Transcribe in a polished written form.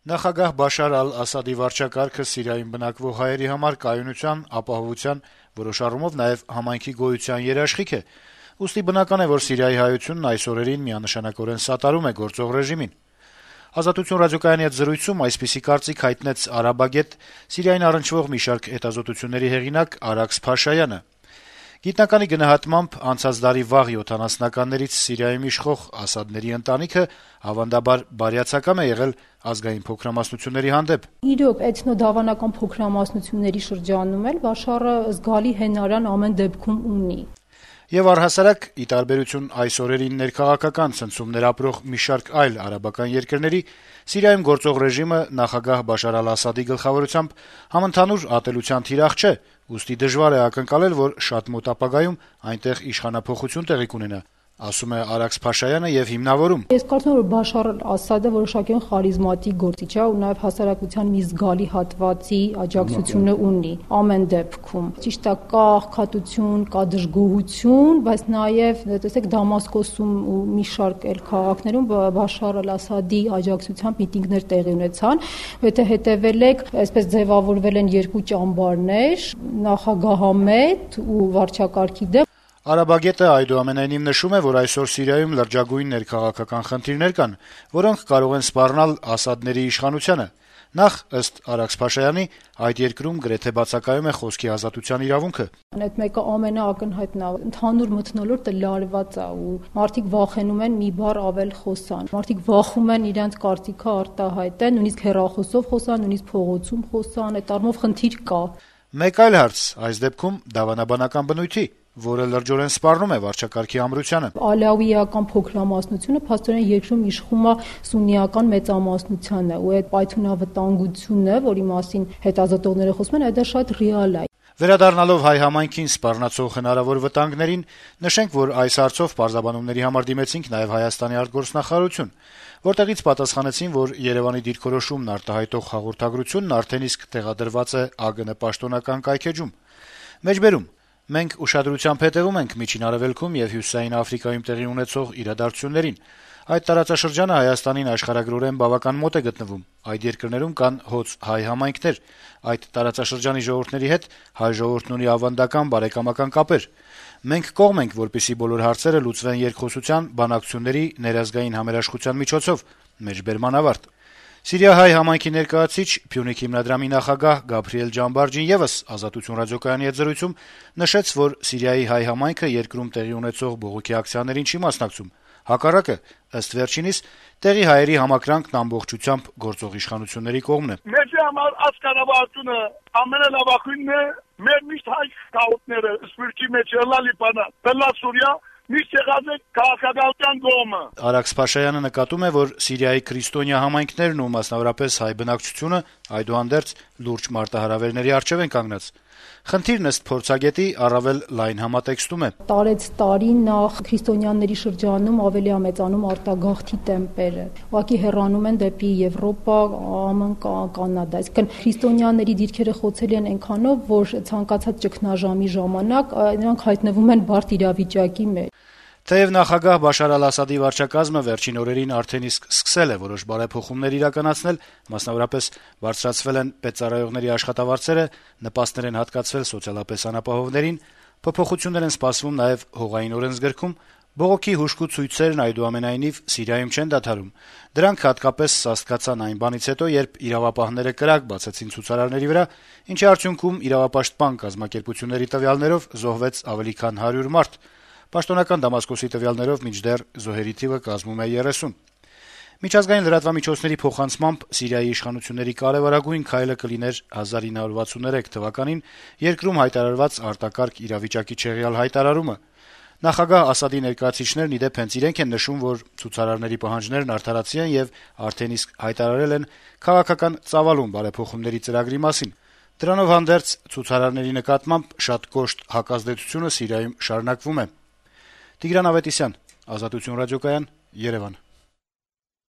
Նախագահ Բաշար ալ-Ասադի վարչակարգը Սիրիայում բնակվող հայերի համար կայունության, ապահովության, որոշ առումով նաեւ համայնքի գոյության երաշխիք է, ուստի բնական է, որ Սիրիայի հայությունն այս օրերին միանշանակորեն սատարում է գործող ռեժիմին։ «Ազատություն» ռադիոկայանի հետ զրույցում այսպիսի կարծիք հայտնեց արաբագետ, Սիրիային առնչվող մի շարք հետազոտությունների հեղինակ Արաքս Փաշայանը։ Գիտնականի գնահատմամբ անցած դարի վաղ 70-ականներից Սիրիայում իշխող Ասադների ընտանիքը ավանդաբար բարյացակամ է եղել ազգային փոքրամասնությունների հանդեպ։ Իրոք, էթնոդավանական փոքրամասնությունների շրջանում էլ Բաշարը զգալի հենարան ամեն դեպքում ունի։ Եվ առհասարակ, ի տարբերություն այս օրերին ներքաղաքական ցնցումներ ապրող մի շարք այլ արաբական երկրների, Սիրիայում գործող ռեժիմը նախագահ Բաշար ալ-Ասադի գլխավորությամբ համընդհանուր ատելության թիրախ չէ, ուստի դժվար է ակնկալել, որ շատ մոտ ապագայում այնտեղ իշխանափոխություն տեղի կունենա, ասում է Արաքս Փաշայանը եւ հիմնավորում. Ես կարծում եմ, որ Բաշար ալ-Ասադը որոշակիորեն խարիզմատիկ գործիչ է ու նաեւ հասարակության մի զգալի հատվածի աջակցությունը ունի ամեն դեպքում։ Ճիշտ է, կա աղքատություն, կա դժգոհություն, բայց նաեւ տեսեք Դամասկոսում ու մի շարք այլ քաղաքներում Բաշար ալ-Ասադի աջակցությամբ միտինգներ տեղի ունեցան։ Եթե հետեւել եք, այսպես ձևավորվել են երկու ճամբարներ՝ նախագահամետ ու վարչակարգի դեմ։ Արաբագետը այդուամենայնիվ նշում է, որ այսօր Սիրիայում լրջագույն ներքաղաքական խնդիրներ կան, որոնք կարող են սպառնալ Ասադների իշխանությանը։ Նախ, ըստ Արաքս Փաշայանի, այդ երկրում գրեթե բացակայում է խոսքի ազատության իրավունքը։ Այդ մեկը ամենաակնհայտն է, ընդհանուր մթնոլորտը լարված է ու մարդիկ վախենում են մի բառ ավել խոսան։ Մարդիկ վախում են իրենց կարծիքը արտահայտեն, նույնիսկ հեռախոսով խոսան, նույնիսկ փողոցում խոսան, այդ առումով խնդիր կա։ Մեկ այլ հարց, այս դեպքում դավանաբանական բնույթի, որը լրջորեն սպառնում է վարչակարգի ամրությանը։ Ալավիական փոքրամասնությունը փաստորեն երկրում իշխում է սուննիական մեծամասնությանը ու այդ պայթունավտանգությունը, որի մասին հետազոտողները խոսում են, դա շատ ռեալ է։ Վերադառնալով հայ համայնքին սպառնացող հնարավոր վտանգներին, նշենք, որ այս հարցով պարզաբանումների համար դիմեցինք նաև Հայաստանի արտգործնախարարություն, որտեղից պատասխանեցին, որ Երևանի դիրքորոշումն արտահայտող հաղորդագրությունն արդեն իսկ տեղադրված է ԱԳՆ պաշտոնական կայքեջում։ Մեջբերում. Մենք ուշադրությամբ հետևում ենք Միջին Արևելքում եւ Հյուսիսային Աֆրիկայում տեղի ունեցող իրադարձություններին։ Այդ տարածաշրջանը Հայաստանին աշխարհագրորեն բավական մոտ է գտնվում։ Այդ երկրներում կան հոծ հայ համայնքներ։ Այդ տարածաշրջանի ժողովուրդների հետ հայ ժողովուրդն ունի ավանդական բարեկամական կապեր։ Մենք կողմ ենք, որպեսզի բոլոր հարցերը լուծվեն երկխոսության, բանակցությունների, ներազգային համերաշխության միջոցով։ Մեջբերման ավարտ։ Սիրիահայ համայնքի ներկայացուցիչ, Փյունիկ հիմնադրամի նախագահ Գաբրիել Ջամբարջին եւս «Ազատություն» ռադիոկայանի հետ զրույցում նշեց, որ Սիրիայի հայ համայնքը երկրում տեղի ունեցող բողոքի ակցիաներին չի մասնակցում։ Հակառակը, ըստ վերջինիս, տեղի հայերի համակրանքն ամբողջությամբ գործող իշխանությունների կողմն է։ Մեզ համար ազգանավարությունը ամենալավախույնն է, մեր միշտ հայ կաուտները, սպիրկի մեջ ելալի բանա, բելա Սուրիա, միշտ եղած է քաղաքականության կողմը։ Արաքս Փաշայանը նկատում է, որ Սիրիայի քրիստոնյա համայնքներն ու մասնավորապես հայ բնակչությունը այդուհանդերձ լուրջ մարտահրավերների առջև են կանգնած։ Խնդիրն ըստ փորձագետի առավել լայն համատեքստում է։ Տարեց տարի նախ քրիստոնյաների շրջանում ավելի ամեծանում արտագաղթի տեմպերը։ Ուղղակի հեռանում են դեպի Եվրոպա, ԱՄՆ, Կանադա։ Այսինքն քրիստոնյաների դիրքերը խոցելի են այնքանով, որ ցանկացած ճգնաժամի ժամանակ նրանք հայտնվում են բարդ իրավիճակի մեջ։ Թեև նախագահ Բաշար ալ-Ասադի վարչակազմը վերջին օրերին արդեն իսկ սկսել է որոշ բարեփոխումներ իրականացնել, մասնավորապես բարձրացվել են պետծառայողների աշխատավարձերը, նպաստներ են հատկացվել սոցիալապես անապահովներին, փոփոխություններ են սպասվում նաև հողային օրենսգրքում, բողոքի հուժկու ցույցերն այդուամենայնիվ Սիրիայում չեն դադարում։ Դրանք հատկապես սաստկացան այն բանից հետո, երբ իրավապահները կրակ բացեցին ցուցարարների վրա, ինչի արդյունքում իրավապաշտպան կազմակերպությունների տվյալներով զոհվեց ավելի քան 100 մարդ։ Պաշտոնական Դամասկոսի տվյալներով մինչդեռ զոհերի թիվը կազմում է 30։ Միջազգային լրատվամիջոցների փոխանցմամբ Սիրիայի իշխանությունների կարևորագույն քայլը կլիներ 1963 թվականին երկրում հայտարարված արտակարգ իրավիճակի չեղյալ հայտարարումը։ Նախագահ Ասադի ներկայացուցիչներն իդեպ հենց իրենք են նշում, որ ցուցարարների պահանջներն արդարացի են եւ արդեն իսկ հայտարարել են քաղաքական ծավալուն բարեփոխումների ծրագրի մասին։ Դրանով հանդերձ ցուցարարների նկատմամբ շատ կոշտ հակազդեցությունը Սիրիայում շարունակվում է։ Տիգրան Ավետիսյան, Ազատություն ռադիոկայան, Երևան։